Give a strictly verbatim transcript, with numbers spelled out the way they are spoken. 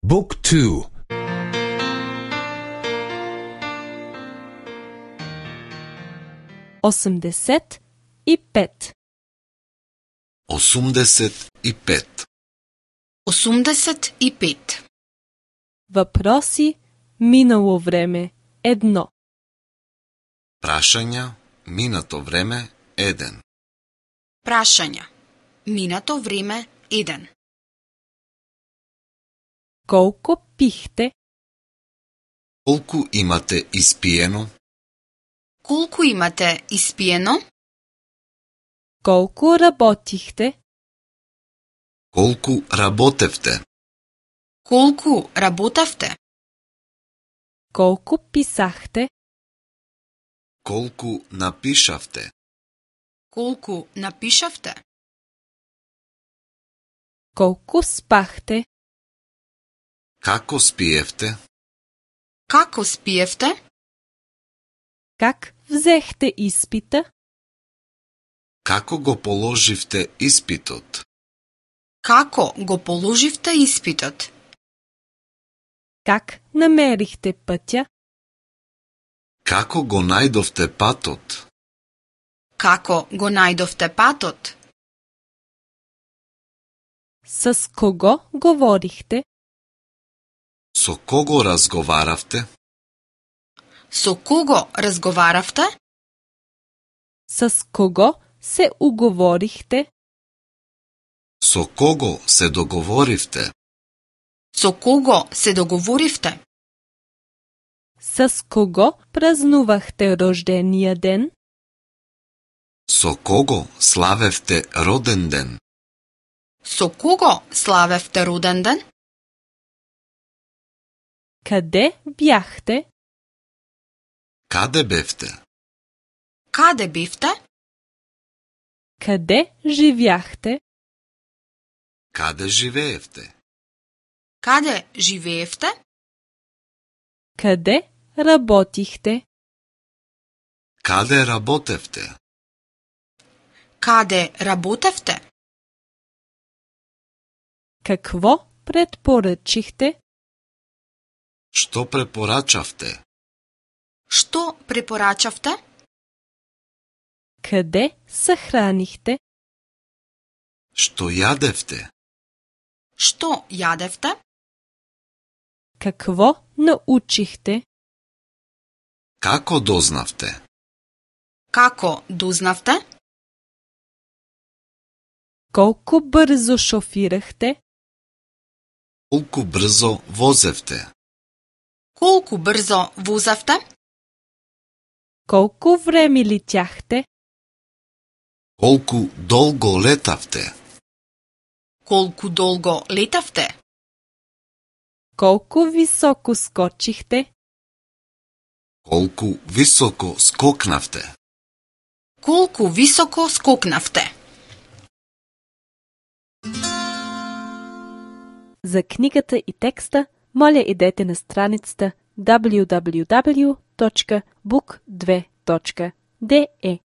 Book two. осемдесет и пет. осумдесет и пет. осумдесет и пет. Въпроси минало време едно. Прашања, минато време, еден. Прашања. Минато време еден. Колко пихте? Колку имате испиено? Колку имате испиено? Колко работихте? Колку работевте? Колку работевте? Колко писахте? Колку напишавте? Колку напишавте? Колко спахте? Како спиевте? Како спиевте? Как взехте изпита? Како го положивте испитот? Како го положивте испитот? Как намерихте пътя? Како го најдовте патот? Како го најдовте патот? С кого говорихте? Со кого разговаравте? Со кого разговаравте? С кого се уговорихте? Со кого се договоривте? Со кого се договоривте? С кого празнувахте рождения ден? Со кого славевте роден ден? Со кого славевте роден ден? Къде бяхте? Каде бевте? Каде бевте? Къде живяхте? Каде живеевте? Каде живеевте? Къде работихте? Каде работевте? Каде работевте? Какво предпоръчихте? Што препорачавте? Што препорачавте? Къде съхранихте? Што јадевте? Што јадевте? Какво научихте? Како дознавте? Како дознавте? Колко бързо шофирахте? Колку брзо возевте? Колку брзо возевте? Колко време летяхте? Колку долго летавте? Колку долго летавте? Колко високо скочихте? Колку високо скокнавте? Колку високо скокнавте? За книгата и текста, моля идете на страницата дабљу дабљу дабљу точка бук две точка де е.